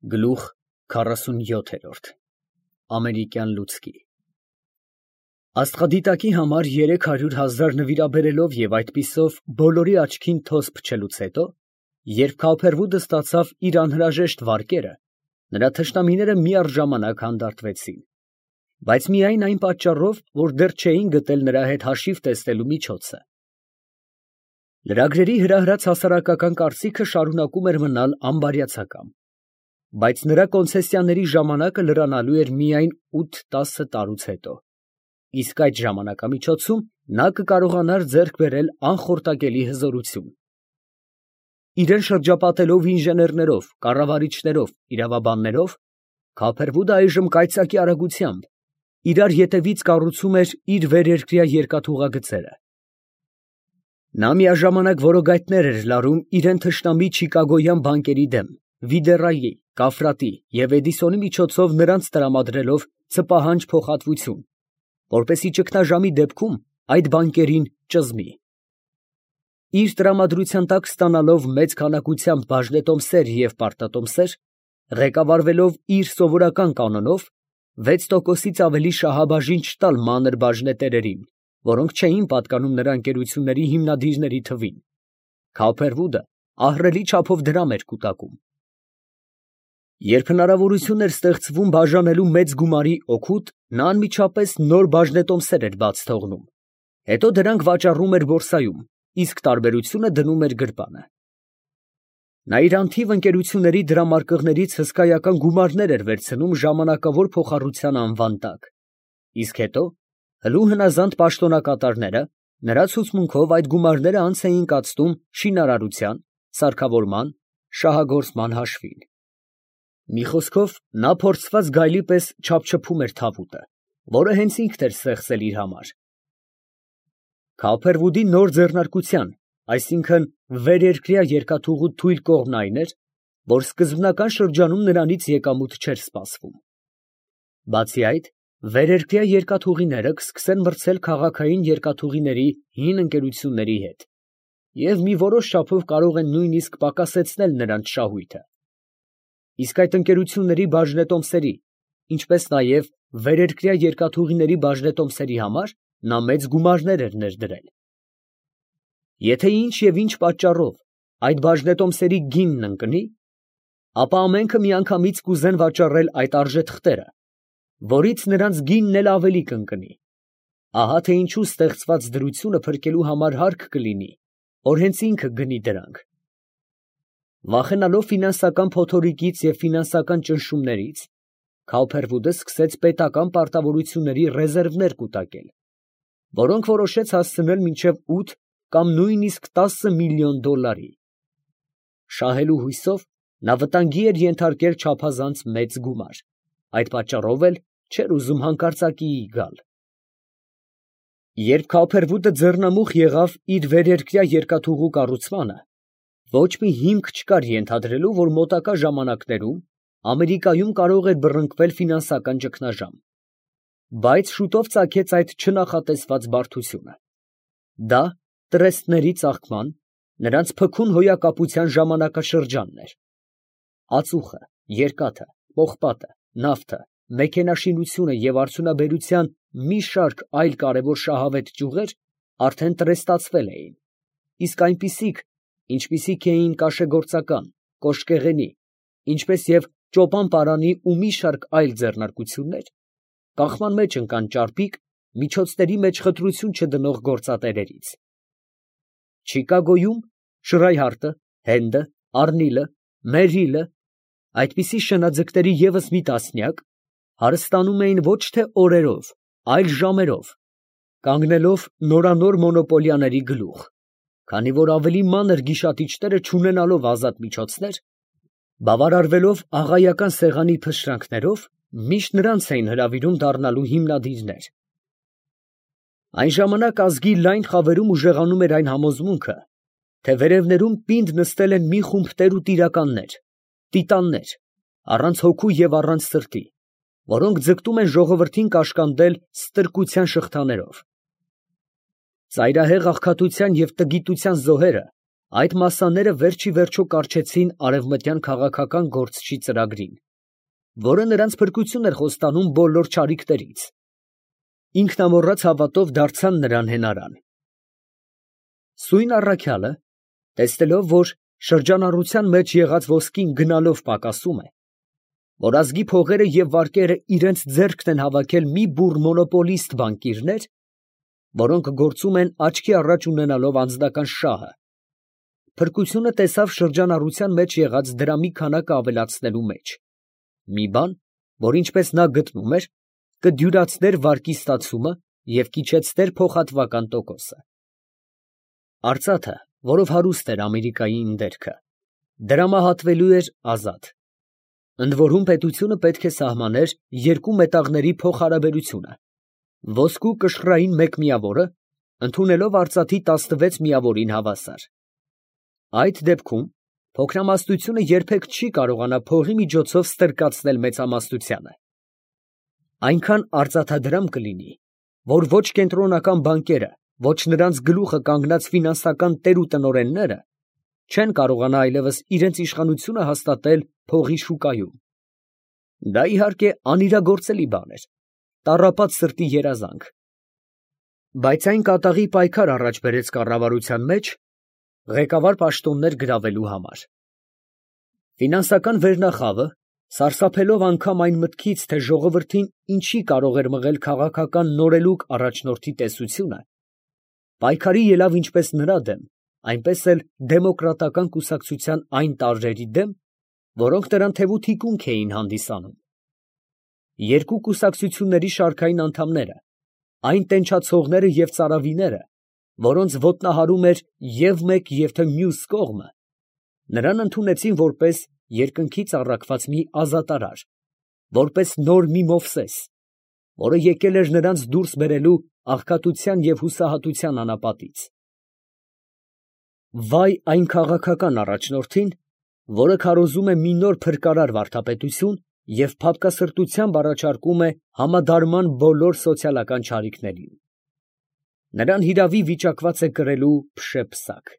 Գլուխ 47 Ամերիկյան լուցկի Աստղադիտակի համար 300,000 նվիրաբերելով և այդպիսով բոլորի աչքին թոզ փչելուց հետո, երբ Քավոփերվուդը ստացավ իր անհրաժեշտ վարկերը, նրա թշնամիները միառժամանակ հանդարտվեցին, բայց միայն այն պատճառով, որ դեռ չէին գտել նրա հետ հաշիվ տեսնելու միջոցը։ Լրագրերի հրահրած հասարակական կարծիքը շարունակում էր մնալ անբարյացակամ, բայց նրա կոնցեսիաների ժամանակը լրանալու էր միայն 8-10 տարուց հետո, իսկ այդ ժամանակամիջոցում նա կկարողանար ձեռք բերել անխորտակելի հզորություն։ Իրան շրջապատելով ինժեներներով, կառավարիչներով, իրավաբաններով, Քավոփերվուդը այժմ կայծակի արագությամբ իրար ետևից կառուցում էր իր վերերկրյա երկաթուղագծերը։ Նա միաժամանակ որոգայթներ էր լարում իրան թշնամի չիկագոյան բանկերի դեմ, Վիդերայի, Կաֆրատի և Էդիսոնի միջոցով նրանց տրամադրելով ցպահանջ փոխհատվություն, որպեսզի ճգնաժամի դեպքում այդ բանկերին ճզմի։ Իր տրամադրության տակ ստանալով մեծ քանակությամբ բաժնետոմսեր և պարտատոմսեր, ղեկավարվելով իր սովորական կանոնով 6%-ից ավելի շահաբաժին չտալ մանր բաժնետերերին, որոնք չէին պատկանում նրա ընկերությունների հիմնադիրների թվին, Քավոփերվուդը ահռելի չափով դրամ էր կուտակում։ Երբ հնարավորություն էր ստեղծվում բաժանելու մեծ գումարի օգուտ, նա անմիջապես նոր բաժնետոմսեր էր բաց թողնում, հետո դրանք վաճառում էր բորսայում, իսկ տարբերությունը դնում էր գրպանը։ Նա իր անթիվ ընկերությունների դրամարկղներից հսկայական գումարներ էր վերցնում ժամանակավոր փոխառության անվան տակ, իսկ հետո հլու հնազանդ պաշտոնակատարները նրա ցուցմունքով այդ գումարները անց էին կացնում շինարարության, սարքավորման, շահագործման հաշվին։ Մի խոսքով, նա փորձված գայլի պես չափչփում էր թավուտը, որը հենց ինքն էր ստեղծել իր համար։ Քավոփերվուդի նոր ձեռնարկության, այսինքն վերերկրյա երկաթուղու թույլ կողմն այն էր, որ սկզբնական շրջանում նրանից եկամուտ չէր սպասվում։ Բացի այդ, վերերկրյա երկաթուղիները կսկսեն մրցել քաղաքային երկաթուղիների հին ընկերությունների հետ և մի որոշ չափով կարող են նույնիսկ պակասեցնել նրանց շահույթը։ Իսկ այդ ընկերությունների բաժնետոմսերի, ինչպես նաև վերերկրյա երկաթուղիների բաժնետոմսերի համար նա մեծ գումարներ էր ներդրել։ Եթե ինչ և ինչ պատճառով այդ բաժնետոմսերի գինն ընկնի, ապա ամենքը միանգամից կուզեն վաճառել այդ արժեթղթերը, որից նրանց գինն էլ ավելի կընկնի։ Ահա թե ինչու ստեղծված դրությունը փրկելու համար հարկ կլինի, որ հենց ինքը գնի դրանք։ Վախենալով ֆինանսական փոթորիկից և ֆինանսական ճնշումներից, Քավոփերվուդը սկսեց պետական պարտավորությունների ռեզերվներ կուտակել, որոնք որոշեց հասցնել մինչև 8 կամ նույնիսկ 10 միլիոն դոլարի։ Շահելու հույսով նա վտանգի էր ենթարկել չափազանց մեծ գումար, այդ պատճառով էլ չէր ուզում հանկարծակիի գալ։ Երբ Քավոփերվուդը ձեռնամուխ եղավ իր վերերկրյա երկաթուղու կառուցմանը, ոչ մի հիմք չկար ենթադրելու, որ մոտակա ժամանակներում Ամերիկայում կարող էր բռնկվել ֆինանսական ճգնաժամ, բայց շուտով ծագեց այդ չնախատեսված բարդությունը։ Դա տրեստների ծաղկման, նրանց փքուն հոյակապության ժամանակաշրջանն էր։ Ածուխը, երկաթը, պողպատը, նավթը, մեքենաշինությունը և արդյունաբերության մի շարք այլ կարևոր շահավետ ճյուղեր արդեն տրեստացվել էին, իսկ այնպիսիք, ինչպիսիք էին կաշեգործական, կոշկեղենի, ինչպես և ճոպան֊պարանի ու մի շարք այլ ձեռնարկություններ, կախման մեջ ընկան ճարպիկ, միջոցների մեջ խտրություն չդնող գործատերերից։ Չիկագոյում Շրայհարտը, Հենդը, Արնիլը, Մերիլը, այդպիսի շնաձկների ևս մի տասնյակ, հարստանում էին ոչ թե օրերով, այլ ժամերով, կանգնելով նորանոր մոնոպոլիաների գլուխ, քանի որ ավելի մանր գիշատիչները չունենալով ազատ միջոցներ, բավարարվելով աղայական սեղանի փշրանքներով, միշտ նրանց էին հրավիրում դառնալու հիմնադիրներ։ Այն ժամանակ ազգի լայն խավերում ուժեղանում էր այն համոզմունքը, թե վերևներում պինդ նստել են մի խումբ տեր ու տիրականներ, տիտաններ, առանց հոգու և առանց սրտի, որոնք ձգտում են ժողովրդին կաշկանդել ստրկության շղթաներով։ Ծայրահեղ աղքատության և տգիտության զոհերը Այդ մասսաները վերջի վերջո կառչեցին արևմտյան քաղաքական գործչի ծրագրին, որը նրանց փրկություն էր խոստանում բոլոր չարիքներից։ Ինքնամոռաց հավատով դարձան նրան հենարան։ Սույն առաքյալը, տեսնելով, որ շրջանառության մեջ եղած ոսկին գնալով պակասում է, որ ազգի փողերը և վարկերը իրենց ձեռքն են հավաքել մի բուռ մոնոպոլիստ բանկիրներ, որոնք գործում են աչքի առաջ ունենալով անձնական շահը, փրկությունը տեսավ շրջանառության մեջ եղած դրամի քանակը ավելացնելու մեջ, մի բան, որ ինչպես նա գտնում էր, կդյուրացներ վարկի ստացումը և կիջեցներ փոխհատվական տոկոսը։ Արծաթը, որով հարուստ էր Ամերիկայի ընդերքը, դրամահատվելու էր ազատ։ Ընդ որում պետությունը պետք է սահմաներ երկու մետաղների փոխհարաբերությունը, ոսկու կշռային 1 միավորը, ընդունելով արծաթի 16 միավորին հավասար։ Այդ դեպքում փոքրամասնությունը երբեք չի կարողանա փողի միջոցով ստրկացնել մեծամասնությանը։ Այնքան արծաթադրամ կլինի, որ ոչ կենտրոնական բանկերը, ոչ նրանց գլուխը կանգնած ֆինանսական տեր ու տնօրենները չեն կարողանա այլևս իրենց իշխանությունը հաստատել փողի շուկայում։ Դա իհարկե անիրագործելի բան էր, տառապած սրտի երազանք։ Բայց այն կատաղի պայքար առաջ բերեց կառավարության մեջ ղեկավար պաշտոններ գրավելու համար։ Ֆինանսական վերնախավը, սարսափելով անգամ այն մտքից, թե ժողովրդին ինչի կարող էր մղել քաղաքական նորելուկ առաջնորդի տեսությունը, պայքարի ելավ ինչպես նրա դեմ, այնպես էլ դեմոկրատական կուսակցության այն տարրերի դեմ, որոնք նրան թևու թիկունք էին հանդիսանում։ Երկու կուսակցությունների շարքային անդամները, այն տենչացողները և ծարավիները, որոնց ոտնահարում էր և մեկ և թե մյուս կողմը, նրան ընդունեցին որպես երկնքից առաքված մի ազատարար, որպես նոր մի Մովսես, որը եկել էր նրանց դուրս բերելու աղքատության և հուսահատության անապատից։ Վայ այն քաղաքական առաջնորդին, որը քարոզում է մի նոր փրկարար վարդապետություն և փափկասրտությամբ առաջարկում է համադարման բոլոր սոցիալական չարիքներին։ Նրան հիրավի վիճակված է կրելու փշե-փսակ։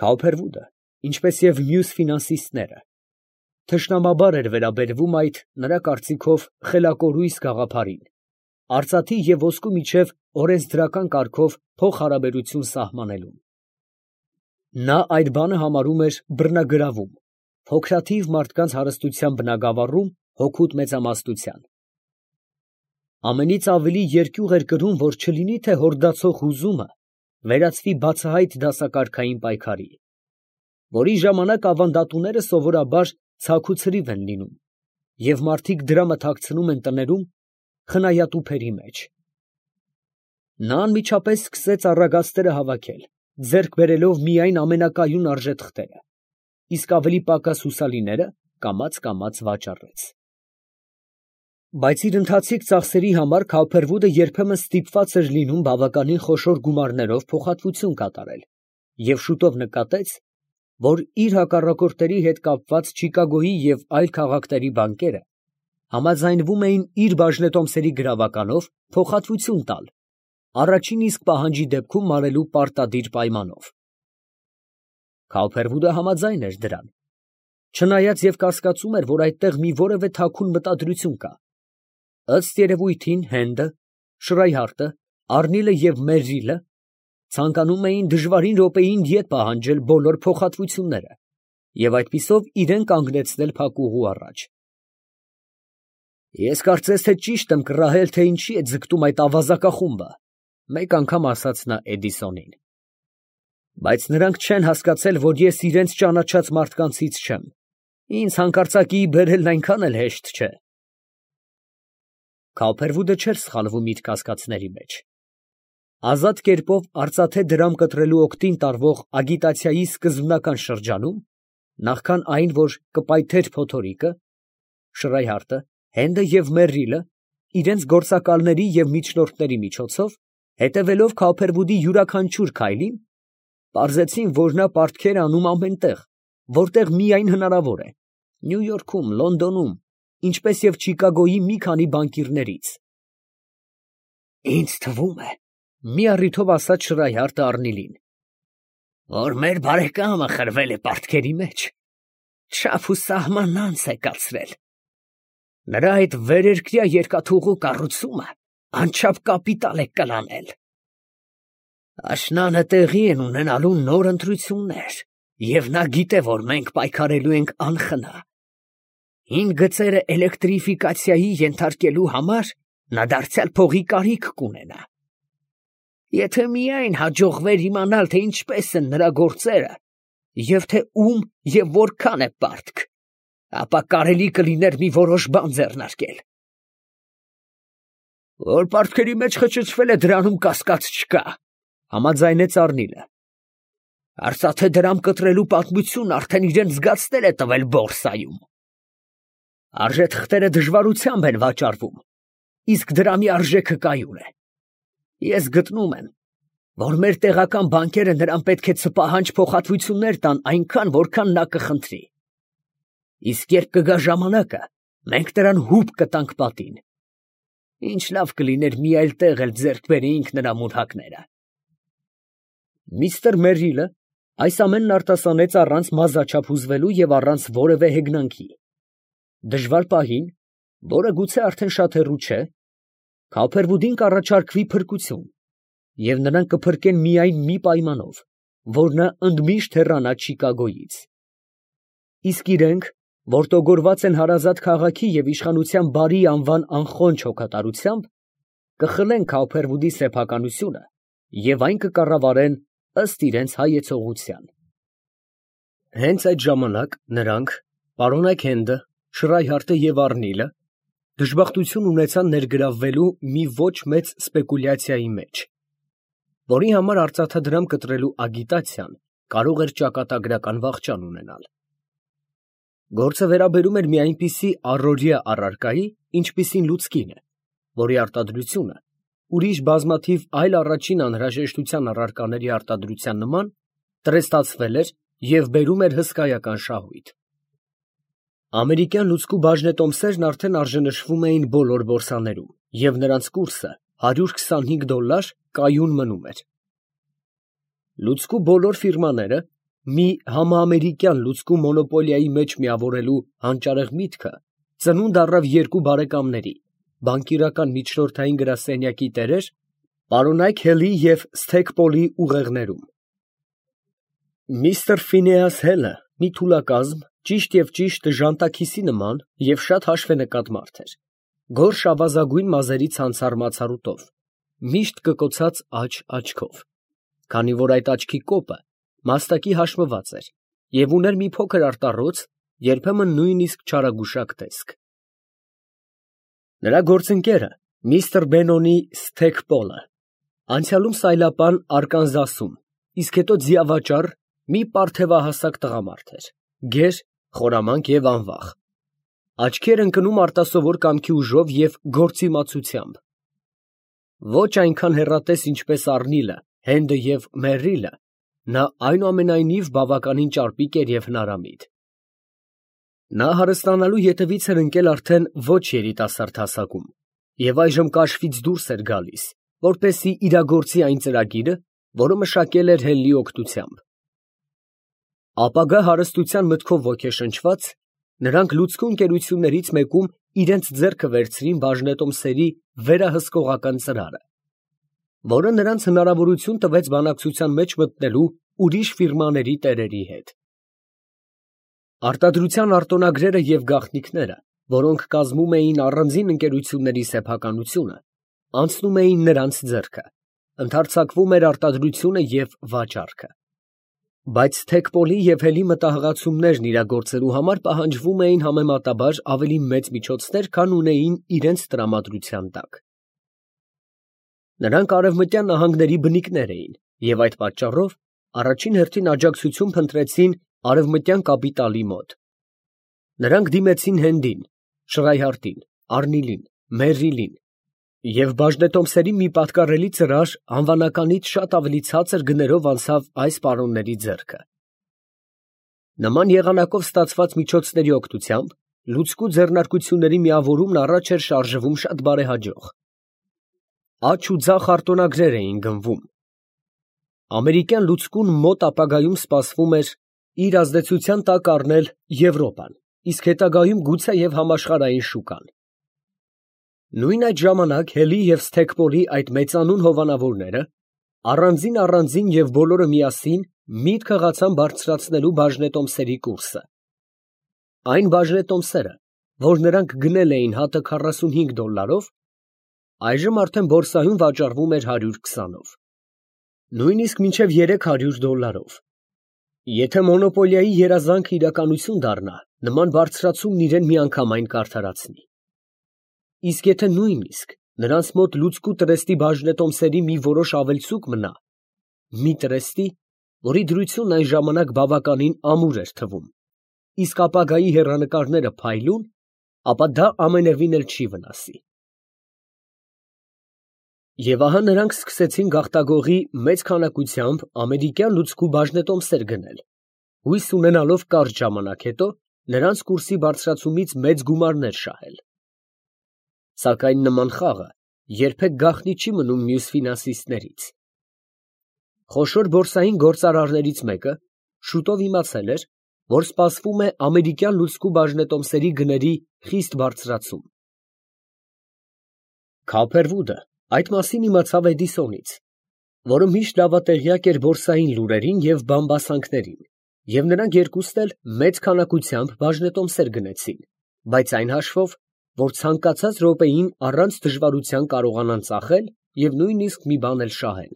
Քաուփերվուդը, ինչպես և մյուս ֆինանսիստները, թշնամաբար էր վերաբերվում այդ, նրա կարծիքով, խելակորույս գաղափարին, արծաթի և ոսկու միջև օրենսդրական կարգով փոխհարաբերություն սահմանելուն։ Նա այդ բանը համարում էր բռնագրավում, փոքրաթիվ մարդկանց հարստության բնագավառում հօգուտ մեծամասնության։ Ամենից ավելի երկյուղ էր կրում, որ չլինի թե հորդացող հուզումը վերածվի բացահայտ դասակարգային պայքարի, որի ժամանակ ավանդատուները սովորաբար ցաք ու ցրիվ են լինում, և մարդիկ դրամը թաքցնում են տներում խնայատուփերի մեջ։ Նա անմիջապես սկսեց առագաստերը հավաքել, ձեռք բերելով միայն ամենակայուն արժեթղթերը, իսկ ավելի պակաս հուսալիները կամաց վաճառեց։ Բայց իր ընթացիկ ծախսերի համար Քաուփերվուդը երբեմն ստիպված էր լինում բավականին խոշոր գումարներով փոխհատվություն կատարել և շուտով նկատեց, որ իր հակառակորդների հետ կապված Չիկագոյի և այլ քաղաքների բանկերը համաձայնվում էին իր բաժնետոմսերի գրավականով փոխհատվություն տալ, առաջին իսկ պահանջի դեպքում մարելու պարտադիր պայմանով։ Քաուփերվուդը համաձայն էր դրան, չնայած և կասկածում էր, որ այդտեղ մի որևէ թաքուն մտադրություն կա։ Ըստ երևույթին Հենդը, Շրայհարտը, Առնիլը և Մերրիլը ցանկանում էին դժվարին րոպեին ետ պահանջել բոլոր փոխհատվությունները և այդպիսով իրեն կանգնեցնել փակուղու առաջ։ «Ես կարծես թե ճիշտ եմ կռահել, թե ինչի է ձգտում այդ ավազակախումբը», մեկ անգամ ասաց նա Էդիսոնին։ «Բայց նրանք չեն հասկացել, որ ես իրենց ճանաչած մարդկանցից չեմ, ինձ հանկարծակիի բերելն այնքան էլ հեշտ չէ»։ Քաուփերվուդը չէր սխալվում իր կասկածների մեջ։ Ազատ կերպով արծաթե դրամ կտրելու օգտին տարվող ագիտացիայի սկզբնական շրջանում, նախքան այն, որ կպայթեր փոթորիկը, Շրայհարտը, Հենդը և Մերրիլը իրենց գործակալների և միջնորդների միջոցով, հետևելով Քաուփերվուդի յուրաքանչյուր քայլին, պարզեցին, որ նա պարտքեր է անում ամենտեղ, որտեղ միայն հնարավոր է, Նյու Յորքում, Լոնդոնում, ինչպես և Չիկագոյի մի քանի բանկիրներից։ «Ինձ թվում է, ֊ մի առիթով ասաց Շրայհարտը Առնիլին, ֊ որ մեր բարեկամը խրվել է պարտքերի մեջ, չափ ու սահման անց է կացրել. նրա այդ վերերկրյա երկաթուղու կառուցումը անչափ կապիտալ է կլանել. աշնանը տեղի են ունենալու նոր ընտրություններ, և նա գիտե, որ մենք պայքարելու ենք անխնա. հին գծերը էլեկտրիֆիկացիայի ենթարկելու համար նա դարձյալ փողի կարիք կունենա. եթե միայն հաջողվեր իմանալ, թե ինչպես են նրա գործերը, և թե ում և որքան է պարտք, ապա կարելի կլիներ մի որոշ բան ձեռնարկել։ Որ պարտքերի մեջ խճճվել է, դրանում կասկած չկա, համաձայնեց Առնիլը. արծաթե դրամ կտրելու պատմությունն արդեն իրեն զգացնել է տվել բորսայում։ Արժեթղթերը դժվարությամբ են վաճառվում, իսկ դրամի արժեքը կայուն է։ Ես գտնում եմ, որ մեր տեղական բանկերը նրան պետք է ցպահանջ փոխհատվություններ տան այնքան, որքան նա կխնդրի։ Իսկ երբ կգա ժամանակը, մենք նրան հուպ կտանք պատին։ Ինչ լավ կլիներ մի այլ տեղ էլ ձեռք բերեինք նրա մուրհակները։ Միստր Մերրիլը այս ամենն արտասանեց առանց մազաչափ հուզվելու և առանց որևէ հեգնանքի։ Դժվար պահին, որը գուցե արդեն շատ հեռու չէ, Քոփերվուդին կառաջարկվի փրկություն, և նրան կփրկեն միայն մի պայմանով, որ նա ընդմիշտ հեռանա Չիկագոյից։ Իսկ իրենք, որ տոգորված են հարազատ քաղաքի և իշխանության բարի անվան անխոնջ հոգատարությամբ, կխլեն Քոփերվուդի սեփականությունը և այն կկառավարեն ըստ իրենց հայեցողության։ Հենց այդ ժամանակ նրանք, պարոնայք Հենդը, Շրայհարտը և Առնիլը, դժբախտություն ունեցան ներգրավվելու մի ոչ մեծ սպեկուլյացիայի մեջ, որի համար արծաթադրամ կտրելու ագիտացիան կարող էր ճակատագրական վախճան ունենալ։ Գործը վերաբերում էր մի այնպիսի առօրյա առարկայի, ինչպիսին լուցկին է, որի արտադրությունը ուրիշ բազմաթիվ այլ առաջին անհրաժեշտության առարկաների արտադրության նման տրեստացվել էր և բերում էր հսկայական շահույթ։ Ամերիկյան լուցկու բաժնետոմսերն արդեն արժենշվում էին բոլոր բորսաներում, և նրանց կուրսը $125 կայուն մնում էր։ Լուցկու բոլոր ֆիրմաները մի համաամերիկյան լուցկու մոնոպոլիայի մեջ միավորելու հանճարեղ միտքը ծնունդ առավ երկու բարեկամների, բանկիրական միջնորդային գրասենյակի տերեր պարոնայք Հելի և Սթեքպոլի ուղեղներում։ Միստր Ֆինեաս Հելը մի թուլակազմ, ճիշտ և ճիշտ ժանտաքիսի նման և շատ հաշվենկատ մարդ էր, գորշ ավազագույն մազերի ցանցառ մացառուտով, միշտ կկոցած աջ աչքով, քանի որ այդ աչքի կոպը մաստակի հաշվված էր և ուներ մի փոքր արտառոց, երբեմն նույնիսկ չարագուշակ տեսք։ Նրա գործընկերը միստր Բենոնի Սթեքպոլը անցյալում սայլապան Արկանզասում, իսկ հետո ձիավաճառ մի պարթևահասակ տղամարդ էր, գեր, խորամանկ և անվախ, աչքի էր ընկնում արտասովոր կամքի ուժով և գործիմացությամբ։ Ոչ այնքան հեռատես, ինչպես Առնիլը, Հենդը և Մերրիլը, նա այնուամենայնիվ բավականին ճարպիկ էր և հնարամիտ։ Նա հարստանալու ետևից էր ընկել արդեն ոչ երիտասարդ հասակում և այժմ կաշվից դուրս էր գալիս, որպեսզի իրագործի այն ծրագիրը, որը մշակել էր Հելլի օգնությամբ։ Ապագա հարստության մտքով ոգեշնչված, նրանք լուցկու ընկերություններից մեկում իրենց ձեռքը վերցրին բաժնետոմսերի վերահսկողական ծրարը, որը նրանց հնարավորություն տվեց բանակցության մեջ մտնելու ուրիշ ֆիրմաների տերերի հետ։ Արտադրության արտոնագրերը և գաղտնիքները, որոնք կազմում էին առանձին ընկերությունների սեփականությունը, անցնում էին նրանց ձեռքը, ընդարձակվում էր արտադրությունը և վաճառքը։ Բայց Սթեքպոլի և Հելի մտահղացումներն իրագործելու համար պահանջվում էին համեմատաբար ավելի մեծ միջոցներ, քան ունեին իրենց տրամադրության տակ։ Նրանք արևմտյան նահանգների բնիկներ էին և այդ պատճառով առաջին հերթին աջակցություն փնտրեցին արևմտյան կապիտալի մոտ։ Նրանք դիմեցին Հենդին, Շրայհարտին, Առնիլին, Մերրիլին և բաժնետոմսերի մի պատկառելի ծրար անվանականից շատ ավելի ցածր գներով անցավ այս պարոնների ձեռքը։ Նման եղանակով ստացված միջոցների օգնությամբ լուցկու ձեռնարկությունների միավորումն առաջ էր շարժվում շատ բարեհաջող։ Աջ ու ձախ արտոնագրեր էին գնվում։ ամերիկյան լուծկուն մոտ ապագայում սպասվում էր իր ազդեցության տակ առնել Եվրոպան, իսկ հետագայում գուցեև համաշխարհային շուկան։ Նույն այդ ժամանակ Հելի և Սթեքպոլի այդ մեծանուն հովանավորները առանձին և բոլորը միասին միտք հղացան բարձրացնելու բաժնետոմսերի կուրսը։ Այն բաժնետոմսերը, որ նրանք գնել էին հատը $45, այժմ արդեն բորսայում վաճառվում էր 120-ով, նույնիսկ մինչև $300։ Եթե մոնոպոլիայի երազանքը իրականություն դառնա, նման բարձրացումն իրեն միանգամայն կարդարացնի։ Իսկ եթե նույնիսկ նրանց մոտ լուծկու տրեստի բաժնետոմսերի մի որոշ ավելցուկ մնա, մի տրեստի, որի դրությունն այն ժամանակ բավականին ամուր էր թվում, իսկ ապագայի հեռանկարները փայլուն, ապա դա ամենևին էլ չի վնասի։ Եվ ահա նրանք սկսեցին գաղտագողի մեծ քանակությամբ ամերիկյան լուծկու բաժնետոմսեր գնել, հույս ունենալով կարճ ժամանակ հետո նրանց կուրսի բարձրացումից մեծ գումարներ շահել։ Սակայն նման խաղը երբեք գաղտնի չի մնում մյուս ֆինանսիստներից։ Խոշոր բորսային գործարարներից մեկը շուտով իմացել էր, որ սպասվում է ամերիկյան լուծկու բաժնետոմսերի գների խիստ բարձրացում։ Քափերվուդը այդ մասին իմացավ Էդիսոնից, որը միշտ լավատեղյակ էր բորսային լուրերին և բամբասանքներին, և նրանք երկուսն էլ մեծ քանակությամբ բաժնետոմսեր գնեցին, բայց այն հաշվով, որ ցանկացած րոպեին առանց դժվարության կարողանան ծախել և նույնիսկ մի բան էլ շահել։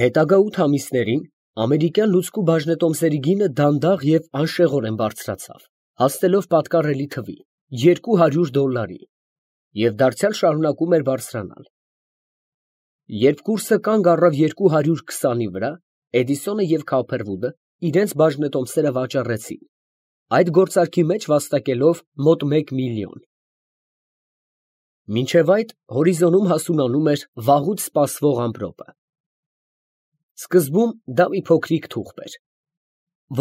Հետագա 8 ամիսներին ամերիկյան լուծկու բաժնետոմսերի գինը դանդաղ և անշեղորեն բարձրացավ, հասնելով պատկառելի թվի՝ $200, և դարձյալ շարունակում էր բարձրանալ։ Երբ կուրսը կանգ առավ 220-ի վրա, Էդիսոնը և Քափերվուդը իրենց բաժնետոմսերը վաճառեցին, այդ գործարքի մեջ վաստակելով մոտ 1 միլիոն։ Մինչև այդ հորիզոնում հասունանում էր վաղուց սպասվող ամպրոպը։ Սկզբում դա մի փոքրիկ թուղթ էր,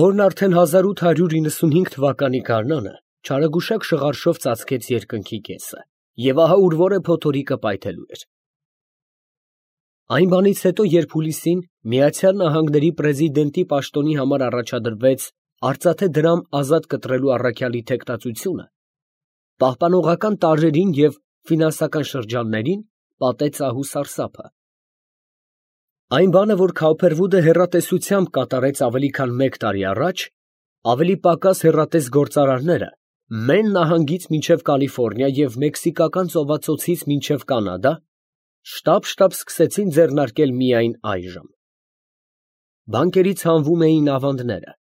որն արդեն 1895 թվականի գարնանը չարագուշակ շղարշով ծածկեց երկնքի կեսը, և ահա ուր որ է փոթորիկը պայթելու էր։ Այն բանից հետո, երբ հուլիսին Միացյալ Նահանգների պրեզիդենտի պաշտոնի համար առաջադրվեց արծաթե դրամ ազատ կտրելու առաքյալի թեկտածությունը, պահպանողական տարրերին և ֆինանսական շրջաններին պատեց ահ ու սարսափը։ Այն բանը, որ Քափերվուդը հեռատեսությամբ կատարեց ավելի քան 1 տարի առաջ, ավելի պակաս հեռատես գործարարները Մեն նահանգից մինչև Կալիֆոռնիա և Մեքսիկական ծովածոցից մինչև Կանադա շտապ սկսեցին ձեռնարկել միայն այժմ։ Բանկերից հանվում էին ավանդները,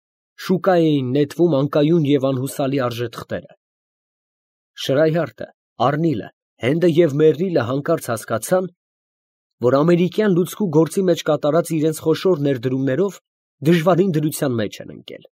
շուկա էին նետվում անկայուն և անհուսալի արժեթղթերը։ Շրայհարտը, Արնիլը, Հենդը և Մերրիլը հանկարծ հասկացան, որ ամերիկյան լուծկու գործի մեջ կատարած իրենց խոշոր ներդրումներով դժվարին դրության մեջ են ընկել։